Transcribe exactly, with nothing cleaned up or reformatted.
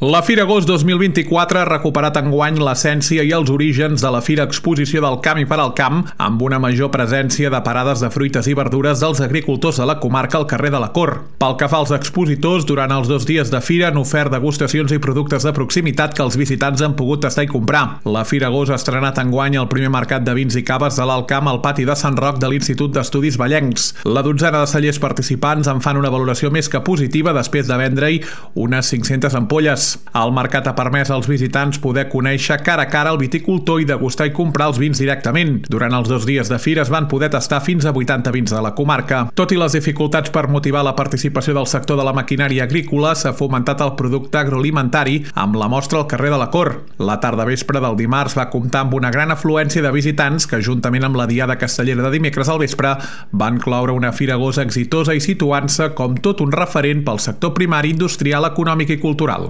La Fira Agost dos mil vint-i-quatre ha recuperat enguany l'essència i els orígens de la Fira Exposició del Camp i per al Camp, amb una major presència de parades de fruites i verdures dels agricultors de la comarca al carrer de la Cor. Pel que fa als expositors, durant els dos dies de fira han ofert degustacions i productes de proximitat que els visitants han pogut tastar i comprar. La Fira Agost ha estrenat enguany el primer mercat de vins i caves de l'Alt Camp al pati de Sant Roc de l'Institut d'Estudis Vallencs. La dotzena de cellers participants en fan una valoració més que positiva després de vendre-hi unes cinc-centes ampolles. El mercat ha permès als visitants poder conèixer cara a cara el viticultor i degustar i comprar els vins directament. Durant els dos dies de fira es van poder tastar fins a vuitanta vins de la comarca. Tot i les dificultats per motivar la participació del sector de la maquinària agrícola, s'ha fomentat el producte agroalimentari amb la mostra al carrer de la Cor. La tarda vespre del dimarts va comptar amb una gran afluència de visitants que, juntament amb la diada castellera de dimecres al vespre, van cloure una Fira Agost exitosa i situant-se com tot un referent pel sector primari, industrial, econòmic i cultural.